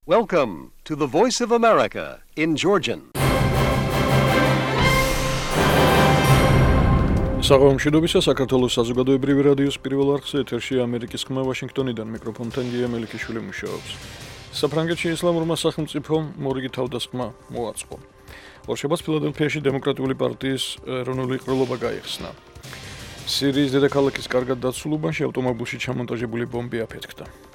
Welcome to the Voice of America in Georgian. საღამომშვიდობისა საქართველოს საზოგადოებრივი რადიოს პირველ არხზე ეთერში ამერიკის ხმა ვაშინგტონიდან მიკროფონთან გია მელიქიშვილი მუშაობს. საფრანგეთში ისლამურმა სახელმწიფომ მორიგი თავდასხმა მოაწყო. ორშაბათს ფილადელფიაში დემოკრატიული პარტიის ეროვნული ყრილობა გაიხსნა. სირიის დედაქალაქის კარგად დაცულ უბანში ავტომობილში ჩამონტაჟებული ბომბი აფეთქდა.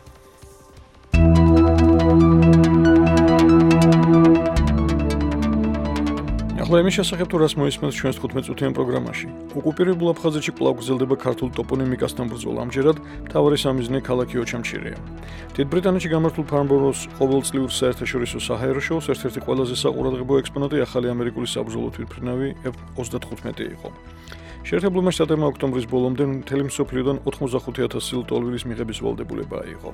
ახლა იმის შესახებ თუ რას მოისმენთ ჩვენს 15-წუთიან პროგრამაში. ოკუპირებულ აფხაზეთში კვლავ გრძელდება ქართულ ტოპონიმიკასთან ბრძოლა. ამჯერად მთავარი სამიზნე ქალაქი ოჩამჩირეა. დიდ ბრიტანეთში გამართულ ფარნბოროს ყოველწლიურ საერთაშორისო საჰაერო შოუს ერთ-ერთი ყველაზე საყურადღებო ექსპონატი ახალი ამერიკული საბრძოლო თვითმფრინავი F-35 იყო. შეერთებულმა შტატებმა ოქტომბრის ბოლომდე მთელი მსოფლიოდან 85,000 ლტოლვილის მიღების ვალდებულება აიღო.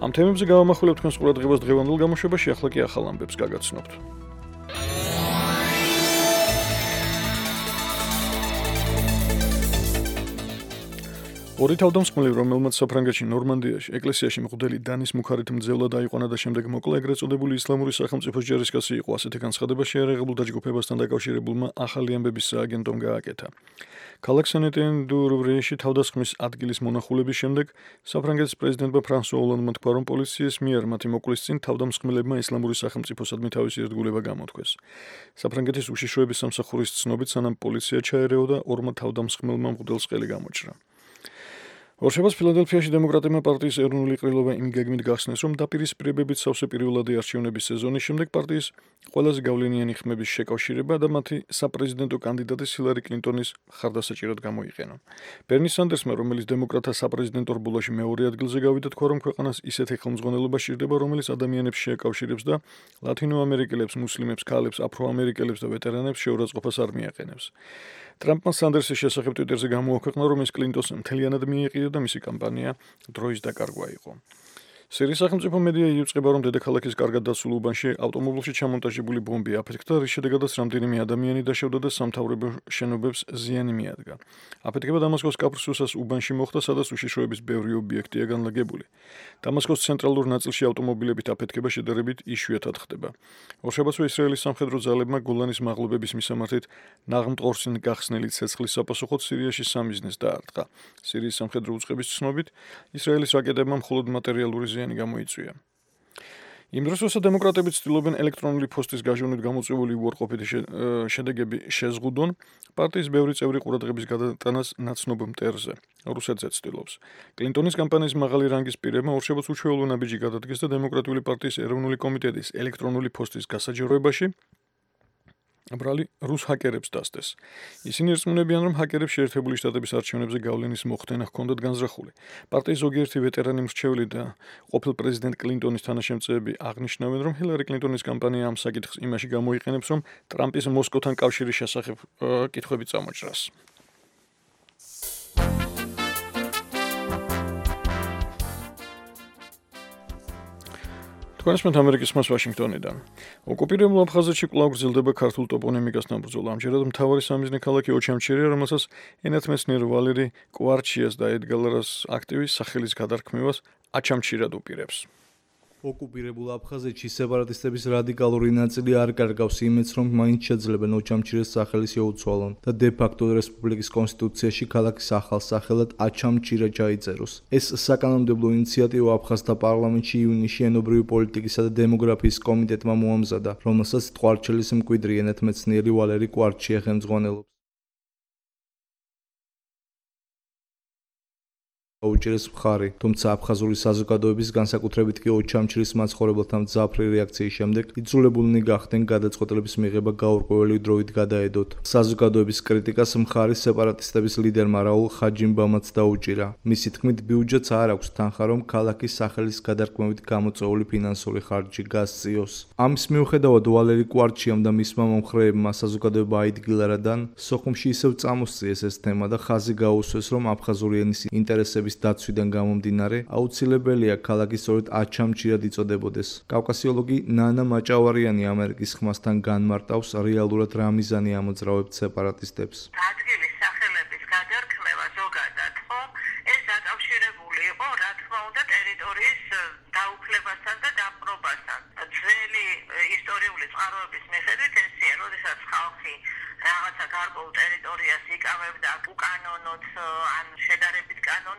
ამ თემებზე გავამახვილებთ თქვენს ყურადღებას დღევანდელ გამოშვებაში, ახლა კი ახალ ამბებს გაგაცნობთ. ორი თავდამსხმელი, რომელმაც საფრანგეთში ნორმანდიაში ეკლესიაში მღვდელი დანის მუხარით მძევლა დაიყვანა და შემდეგ მოკლა, ეგრეთ წოდებული ისლამური სახელმწიფოს ჯარისკაცი იყო. ასეთი განცხადება შეერაღებულ დაჯგუფებასთან დაკავშირებულმა ახალი ამბების სააგენტომ გააკეთა. ქალაქ სენ-ეტიენ-დუ-რუვრიაში თავდასხმის ადგილის მონახულების შემდეგ საფრანგეთის პრეზიდენტმა ფრანსუა ოლანდმა თქვა, რომ პოლიციის მიერ მათი მოკვლის წინ თავდამსხმელებმა ისლამური სახელმწიფოსადმი თავისი ერთგულება გამოთქვეს. საფრანგეთის უშიშროების სამსახურის ცნობით, სანამ პოლიცია ჩაერეოდა, ორმა თავდამსხმელმა მღვდელს ყელი გამოჭრა. ორშაბათს ფილადელფიაში დემოკრატებმა პარტიის ეროვნული ყრილობა იმ გეგმით გახსნეს, რომ დაპირისპირებებით სავსე პირველადი არჩევნების სეზონის შემდეგ პარტიის ყველაზე გავლენიანი ხმების შეკავშირება და მათი საპრეზიდენტო კანდიდატის ჰილარი კლინტონის მხარდასაჭირად გამოიყენა. ბერნი სანდერსმა, რომელიც დემოკრატთა საპრეზიდენტო რბოლაში მეორე ადგილზე გავიდა, თქვა, რომ ქვეყანას ისეთი ხელმძღვანელობა სჭირდება, რომელიც ადამიანებს შეაკავშირებს და ლათინოამერიკელებს, მუსლიმებს, ქალებს, აფროამერიკელებს და ვეტერანებს შეურაცხყოფას არ მიაყენებს. ტრამპმა სანდერსის შესახებ ტვიტერზე გამოაქვეყნა, რომ ის კლინტონს მთლიანად მიეყიდა და მისი კამპანია დროის დაკარგვა იყო. სირიის სახელმწიფო მედია იუწყება, რომ დედაქალაქის კარგად დაცულ უბანში ავტომობილში ჩამონტაჟებული ბომბი აფეთქდა, რის შედეგადაც რამდენიმე ადამიანი დაშავდა და სამთავრობო შენობებს ზიანი მიადგა. აფეთქება დამასკოს კაფრსუსას უბანში მოხდა, სადაც უშიშროების ბევრი ობიექტია განლაგებული. დამასკოს ცენტრალურ ნაწილში ავტომობილებით აფეთქება შედარებით იშვიათად ხდება. ორშაბათსვე ისრაელის სამხედრო ძალებმა გოლანის მაღლობების მისამართით ნაღმტყორს გახსნილი ცეცხლის საპასუხოდ სირიაში სამიზნეს დაარტყა. სირიის სამხედრო უწყების ცნობით, ისრაელის რაკეტებმა მხოლოდ მატერიალური ზიანი გამოიწვია. იმ დროს, როცა დემოკრატები ცდილობენ ელექტრონული ფოსტის გაჟონით გამოწვეული უარყოფითი შედეგები შეზღუდონ, პარტიის ბევრი წევრი ყურადღების გადატანას ნაცნობ მტერზე რუსეთზე ცდილობს. კლინტონის კამპანიის მაღალი რანგის პირებმა ორშაბათს უჩვეულო ნაბიჯი გადადგეს და დემოკრატიული პარტიის ეროვნული კომიტეტის ელექტრონული ფოსტის გასაჯაროებაში ბრალი რუს ჰაკერებს დასდეს. ისინი ერწმუნებიან, რომ ჰაკერებს შეერთებული შტატების არჩევნებზე გავლენის მოხდენა ჰქონდათ განზრახული. პარტიის ზოგიერთი ვეტერანი მრჩეველი და ყოფილ პრეზიდენტ კლინტონის თანაშემწეები აღნიშნავენ, რომ ჰილარი კლინტონის კამპანია ამ საკითხს იმაში გამოიყენებს, რომ ტრამპის მოსკოვთან კავშირის შესახებ კითხვები წამოჭრას. თქვენსმენთ ამერიკის ხმას ვაშინგტონიდან. ოკუპირებულ აფხაზეთში კვლავ გრძელდება ქართულ ტოპონიმიკასთან ბრძოლა. ამჯერად მთავარი სამიზნე ქალაქი ოჩამჩირეა, რომელსაც ენათმეცნიერ ვალერი კვარჩიას და ედგალარას აქტივის სახელის გადარქმევას აჩამჩირად უპირებს. ოკუპირებულ აფხაზეთში სეპარატისტების რადიკალური ნაწილი არ კარგავს იმედს, რომ მაინც შეძლებენ ოჩამჩირეს სახელი შეუცვალონ და დე-ფაქტო რესპუბლიკის კონსტიტუციაში ქალაქის ახალ სახელად აჩამჩირე ჩაიწეროს. ეს საკანონმდებლო ინიციატივა აფხაზთა პარლამენტში ივნისში ენობრივი პოლიტიკისა და დემოგრაფიის კომიტეტმა მოამზადა, რომელსაც ტყვარჩელის მკვიდრი ენათმეცნიერი ვალერი კვარჩია ხელმძღვანელობს. აუჭირეს მხარი, თუმცა აფხაზური საზოგადოების განსაკუთრებით კი ოჩამჩირის მაცხოვრებელთა მძაფრი რეაქციის შემდეგ იძულებულნი გახდნენ გადაწყვეტილების მიღება გაურკვეველი დროით გადაედოთ. საზოგადოების კრიტიკას მხარი სეპარატისტების ლიდერმა რაულ ხაჯიმბამაც დაუჭირა. მისი თქმით, ბიუჯეტს არ აქვს თანხა, რომ ქალაქის სახელის გადარქმევით გამოწვეული ფინანსური ხარჯი გასწიოს. ამის მიუხედავად ვალერი კვარჩიამ და მისმა მომხრეებმა საზოგადოება აიდგილარადან სოხუმში ისევ წამოსწიეს ეს თემა და ხაზი გაუსვეს, რომ აფხაზური ენის ინტერესების დაცვიდან გამომდინარე, აუცილებელია ქალაქი სწორედ აჩამჩირად იწოდებოდეს. კავკასიოლოგი ნანა მაჭავარიანი ამერიკის ხმასთან განმარტავს რეალურად რა მიზანი ამოძრავებთ სეპარატისტებს. ადგილის სახელების გადარქმევა ზოგადად, ხო, ეს დაკავშირებული იყო, რა თქმა უნდა, ტერიტორიის დაუფლებასთან და დაპყრობასთან.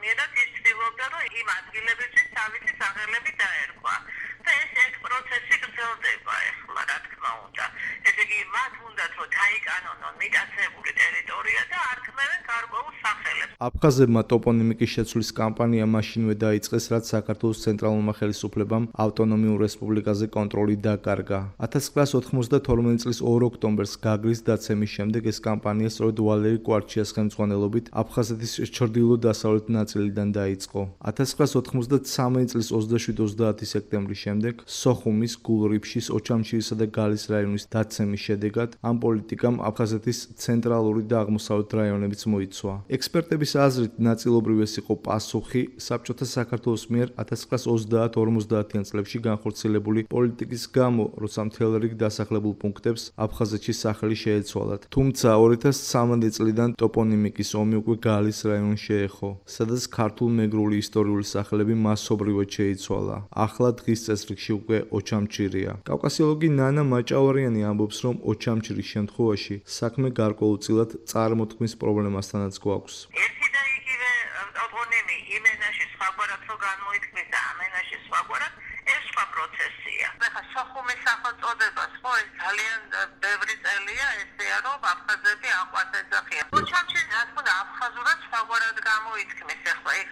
კანონიერად ის ცდილობდა, რომ იმ ადგილებისთვის თავისი სახელები დაერქვა. და ეს პროცესი გრძელდება ახლა, რა თქმა უნდა. ესე იგი, მათ უნდათ, რომ დაიკანონონ მიტაცებული ტერიტორია და არქმევენ გარკვეულ სახელებს. აფხაზებმა ტოპონიმიკის შეცვლის კამპანია მაშინვე დაიწყეს, რაც საქართველოს ცენტრალურმა ხელისუფლებამ ავტონომიურ რესპუბლიკაზე კონტროლი დაკარგა. 1992 წლის 2 ოქტომბერს გაგრის დაცემის შემდეგ ეს კამპანია სწორედ ვალერი კვარჩიას ხელმძღვანელობით აფხაზეთის ჩრდილო-დასავლეთ ნაწილიდან დაიწყო. 1993 წლის 27-30 სექტემბრის შემდეგ სოხუმის, გულრიფშის, ოჩამჩირისა და გალის რაიონის დაცემის შედეგად ამ პოლიტიკამ აფხაზეთის ცენტრალური და აღმოსავლეთ რაიონებიც მოიცვა. ექსპერტების აზრით, ნაწილობრივ ეს იყო პასუხი საბჭოთა საქართველოს მიერ 1930-50-იან წლებში განხორციელებული პოლიტიკის გამო, როცა მთელ რიგ დასახლებულ პუნქტებს აფხაზეთში სახელი შეეცვალათ. თუმცა 2013 წლიდან ტოპონიმიკის ომი უკვე გალის რაიონს შეეხო, სადაც ქართულ-მეგრული ისტორიული სახელები მასობრივად შეიცვალა. ახლა დღის წესრიგში უკვე ოჩამჩირია. კავკასიოლოგი ნანა მაჭავარიანი ამბობს, რომ ოჩამჩირის შემთხვევაში საქმე გარკვეულწილად წარმოთქმის პრობლემასთანაც გვაქვს. ერთი და იგივე ტოპონიმი იმ ენაში სხვაგვარად რო გამოითქმის და ამ ენაში სხვაგვარად, ეს სხვა პროცესია. ახლა სოხუმის სახელწოდებას ხო ეს ძალიან ბევრი წელია ესეა, რომ აფხაზები აყვას ეძახიან. ოჩამჩირი რა თქმა უნდა აფხაზურად სხვაგვარად გამოითქმის. ახლა იქ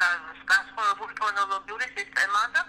განსხვავებული ფონოლოგიური სისტემაა და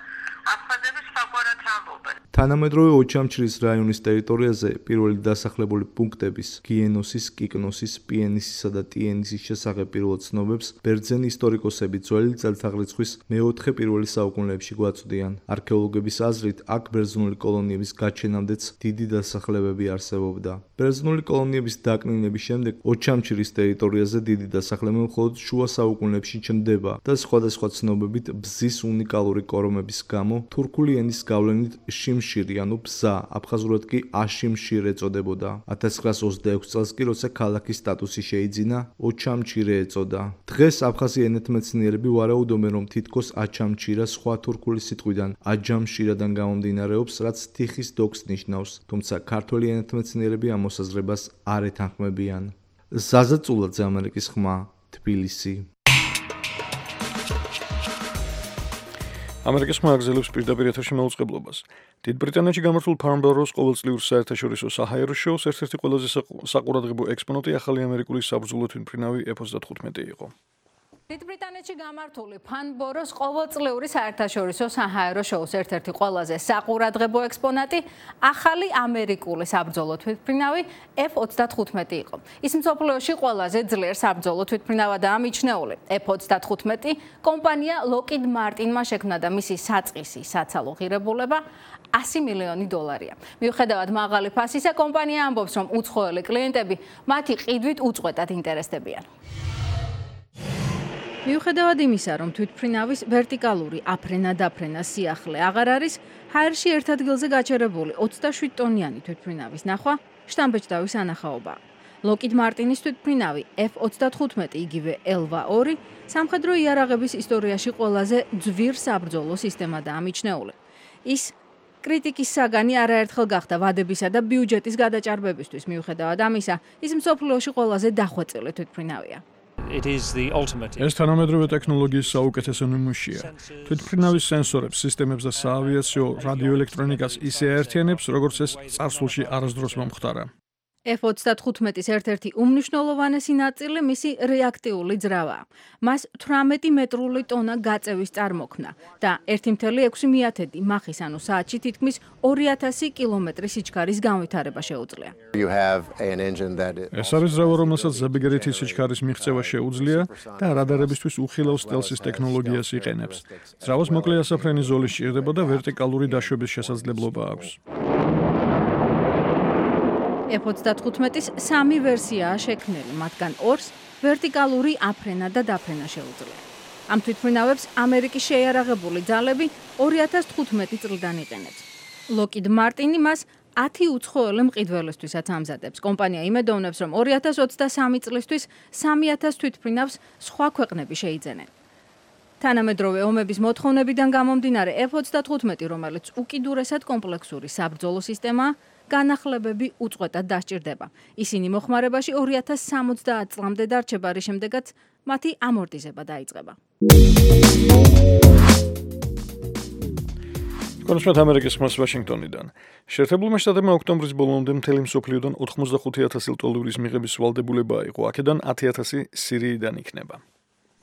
აფხაზები სხვაგვარად ამბობენ. თანამედროვე ოჩამჩირის რაიონის ტერიტორიაზე პირველი დასახლებული პუნქტების გიენოსის, კიკნოსის, პიენისისა და ტიენისის შესახებ პირველ ცნობებს ბერძენი ისტორიკოსები ძველი წელთაღრიცხვის მე-4 საუკუნეებში გვაწვდიან. არქეოლოგების აზრით, აქ ბერძნული კოლონიების გაჩენამდეც დიდი დასახლებები არსებობდა. ბერძნული კოლონიების დაკნინების შემდეგ ოჩამჩირის ტერიტორიაზე დიდი დასახლება მხოლოდ შუა საუკუნეებში ჩნდება და სხვადასხვა ცნობებით ბზის უნიკალური კორომების გამო თურქული ენის გავლენით შიმშირი, ანუ ბზა, აფხაზურად კი აშიმშირ ეწოდებოდა. 1926 წელს კი, როცა ქალაქის სტატუსი შეიძინა, ოჩამჩირე ეწოდა. დღეს აფხაზი ენათმეცნიერები ვარაუდობენ, რომ თითქოს აჩამჩირა სხვა თურქული სიტყვიდან აჯამშირადან გამომდინარეობს, რაც თიხის დოკს ნიშნავს, თუმცა ქართველი ენათმეცნიერები ამ მოსაზრებას არ ეთანხმებიან. ზაზა წულაძე, ამერიკის ხმა, თბილისი. ამერიკის ხმა აგზელებს პირდაპირ ეთერში მაუწყებლობას. დიდ ბრიტანეთში გამართულ ფარნბოროს ყოველწლიურ საერთაშორისო საჰაერო შოუს ერთ-ერთი ყველაზე საყურადღებო ექსპონატი ახალი ამერიკული საბრძოლო თვითმფრინავი F-35 იყო. დიდ ბრიტანეთში გამართული ფარნბოროს ყოველწლიური საერთაშორისო საჰაერო შოუს ერთ-ერთი ყველაზე საყურადღებო ექსპონატი ახალი ამერიკული საბრძოლო თვითმფრინავი F-35 იყო. ის მსოფლიოში ყველაზე ძლიერ საბრძოლო თვითმფრინავადაა მიჩნეული. F-35 კომპანია Lockheed Martin-მა შექმნა და მისი საწყისი საცალო ღირებულება $100 მილიონი. მიუხედავად მაღალი ფასისა, კომპანია ამბობს, რომ უცხოელი კლიენტები მათი ყიდვით უწყვეტად ინტერესდებიან. მიუხედავად იმისა, რომ თვითმფრინავის ვერტიკალური აფრენა-დაფრენა სიახლე აღარ არის, ჰაერში ერთ ადგილზე გაჩერებული 27 ტონიანი თვითმფრინავის ნახვა შტამბეჭდავის ანახაობაა. Lockheed Martin-ის თვითმფრინავი F-35, იგივე Elva-2, სამხედრო იარაღების ისტორიაში ყველაზე ძვირ საბრძოლო სისტემადაა მიჩნეული. ის კრიტიკის საგანი არაერთხელ გახდა ვადებისა და ბიუჯეტის გადაჭარბებისთვის. მიუხედავად ამისა, ის მსოფლიოში ყველაზე დახვეწილი თვითმფრინავია. ეს თანამედროვე ტექნოლოგიის საუკეთესო ნიმუშია. თვითმფრინავის სენსორებს, სისტემებს და საავიაციო რადიოელექტრონიკას ისე აერთიანებს, როგორც ეს წარსულში არასდროს მომხდარა. F-35-ის ერთ-ერთი უმნიშვნელოვანესი ნაწილი მისი რეაქტიული ძრავაა. მას 18 მეტრული ტონა გაწევის წარმოქმნა და 1.6 მახის, ანუ საათში თითქმის 2000 კილომეტრი სიჩქარის განვითარება შეუძლია. ეს არის ძრავა, რომელსაც ზებიგერითი სიჩქარის მიღწევა შეუძლია და რადარებისთვის უხილავ სტელსის ტექნოლოგიას იყენებს. ძრავას მოკლე ასაფრენი ზოლი სჭირდება და ვერტიკალური დაშვების შესაძლებლობა აქვს. F-35-ის 3 ვერსიაა შექმნილი, მათგან 2-ს ვერტიკალური აფრენა და დაფრენა შეუძლია. ამ თვითმფრინავებს ამერიკის შეიარაღებული ძალები 2015 წლიდან იყენებს. Lockheed Martin მას 10 უცხოელი მყიდველისთვისაც ამზადებს. კომპანია იმედოვნებს, რომ 2023 წლისთვის 3000 თვითმფრინავს სხვა ქვეყნები შეიძენენ. თანამედროვე ომების მოთხოვნებიდან გამომდინარე F-35, რომელიც უკიდურესად კომპლექსური საბრძოლო სისტემაა, განახლებები უწყვეტად დასჭირდება. ისინი მოხმარებაში 2070 წლამდე დარჩება, რის შემდეგაც მათი ამორტიზება დაიწყება. კონსულტ ამერიკის ხმას ვაშინგტონიდან. შეერთებულმა შტატებმა ოქტომბრის ბოლომდე მთელი მსოფლიოდან 85,000 ლტოლვილის მიღების ვალდებულება აიღო, აქედან 10,000 სირიიდან იქნება.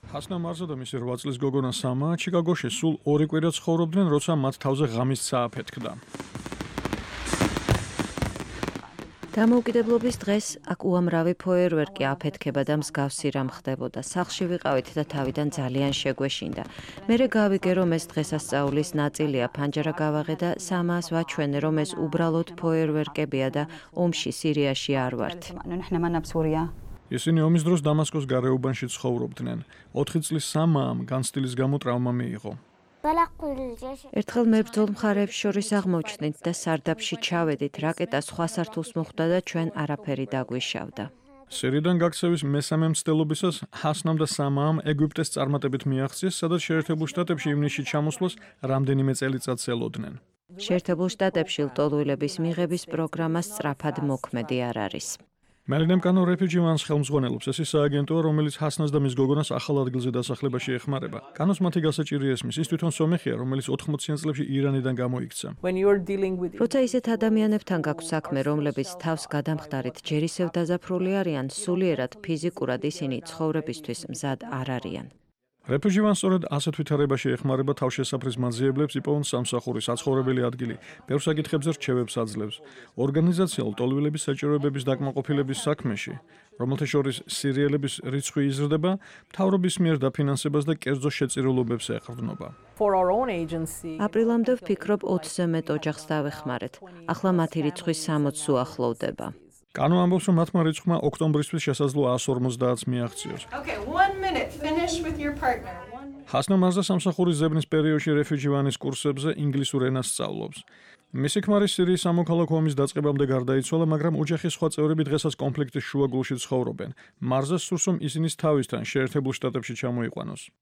ჰასნა მარზა და მისი 8 წლის გოგონა სამა ჩიკაგოში სულ 2 კვირა ცხოვრობდნენ, როცა მათ თავზე ღამის ცა აფეთქდა. დამოუკიდებლობის დღეს აქ უამრავი ფოიერვერკი აფეთქება და მსგავსი რამ ხდებოდა. სახლში ვიყავით და თავიდან ძალიან შეგვეშინდა. მერე გავიგე, რომ ეს დღესასწაულის ნაწილია, ფანჯარა გავაღე და სამას ვაჩვენე, რომ ეს უბრალოდ ფოიერვერკებია და ომში სირიაში არ ვართ. ისინი ომის დროს დამასკოს გარეუბანში ცხოვრობდნენ. 4 წლის სამამ განცდილის გამო ტრავმა მიიღო. ერთხელ მებრძოლ მხარეებს შორის აღმოჩნდით და სარდაფში ჩავედით, რაკეტა სხვა სართულს მოხვდა და ჩვენ არაფერი დაგვიშავდა. სირიიდან გაქცევის მესამე მცდელობისას ჰასნამ და სამამ ეგვიპტეს წარმატებით მიაღწიეს, სადაც შეერთებულ შტატებში ივნისში ჩამოსვლას რამდენიმე წელიწადს ელოდნენ. შეერთებულ შტატებში ლტოლვილების მიღების პროგრამა სწრაფად მოქმედი არ არის. Melinem Kano Refugee One's ხელმძღვანელობს, ეს ის სააგენტოა, რომელიც ჰასნას და მის გოგონას ახალ ადგილზე დასახლებაში ეხმარება. კანოს მათი გასაჭირი ესმის, ის თვითონ სომეხია, რომელიც 80-იან წლებში ირანიდან გამოიქცა. როცა ისეთ ადამიანებთან გაქვს საქმე, რომლებიც თავს გადამხდარით ჯერ ისევ დაზაფრული არიან, სულიერად ფიზიკურად ისინი ცხოვრებისთვის მზად არ არიან. Refugee One სწორედ ასეთ ვითარებაში ეხმარება თავშესაფრის მაძიებლებს, იპოვონ სამსახური, საცხოვრებელი ადგილი, ბევრ საკითხებზე რჩევებს აძლევს. ორგანიზაცია ლტოლვილების საჭიროებების დაკმაყოფილების საქმეში, რომელთა შორის სირიელების რიცხვი იზრდება, მთავრობის მიერ დაფინანსებას და კერძო შეწირულობებს ეყრდნობა. აპრილამდე ვფიქრობ 20-ზე მეტ ოჯახს დავეხმარეთ. ახლა მათი რიცხვი 60-ს უახლოვდება. კანო ამბობს, რომ მათმა რიცხვმა ოქტომბრისთვის შესაძლო 150-ს მიაღწიოს. ჰასნა მარზა სამსახურის ზებნის პერიოდში Refugee One-ის კურსებზე ინგლისურ ენას სწავლობს. მისი ქმარი სირიის სამოქალაქო ომის დაწყებამდე გარდაიცვალა, მაგრამ ოჯახის სხვა წევრები დღესაც კონფლიქტის შუაგულში ცხოვრობენ. მარზას სურს, რომ ისინი თავისთან შეერთებულ შტატებში ჩამოიყვანოს.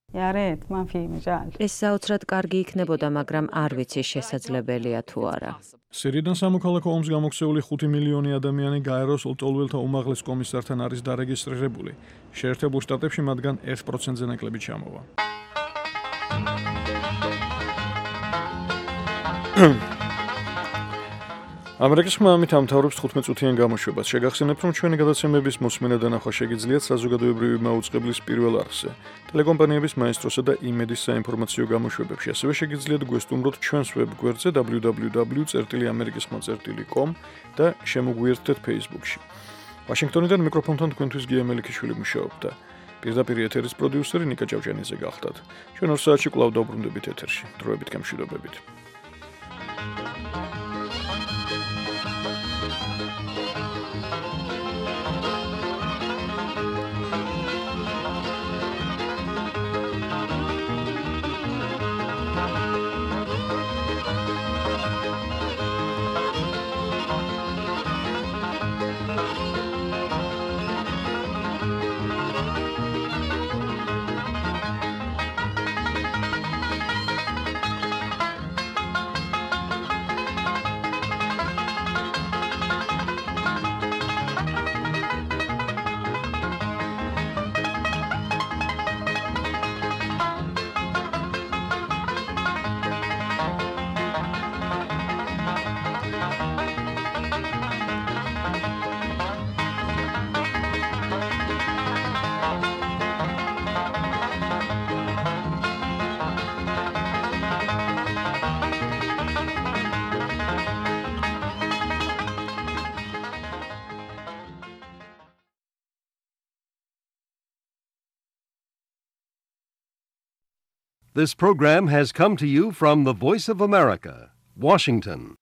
ეს საოცრად კარგი იქნებოდა, მაგრამ არ ვიცი შესაძლებელია თუ არა. სირიიდან სამოქალაქო ომს გამოქცეული 5 მილიონი ადამიანი გაეროს ლტოლვილთა უმაღლეს კომისართან არის დარეგისტრირებული. შეერთებულ შტატებში მათგან 1%-ზე ნაკლები ჩამოვა. ამერიკის ხმა ამით ამთავრებს 15 წუთიან გამოშვებას. შეგახსენებთ, რომ ჩვენი გადაცემების მოსმენა და ნახვა შეგიძლიათ საზოგადოებრივი მაუწყებლის პირველ არხზე, ტელეკომპანიების მაესტროსა და იმედის საინფორმაციო გამოშვებებში. ასევე შეგიძლიათ გვესტუმროთ ჩვენს ვებგვერდზე www.amerikisxma.com და შემოგვიერთდეთ Facebook-ში. ვაშინგტონიდან მიკროფონთან თქვენთვის გია მელიქიშვილი მუშაობდა. პირდაპირ ეთერის პროდიუსერი ნიკა ჭავჭიანიძე გახლდათ. ჩვენ 2 საათში კვლავ დავბრუნდებით ეთერში. დროებით გამშვიდობებით. This program has come to you from the Voice of America, Washington.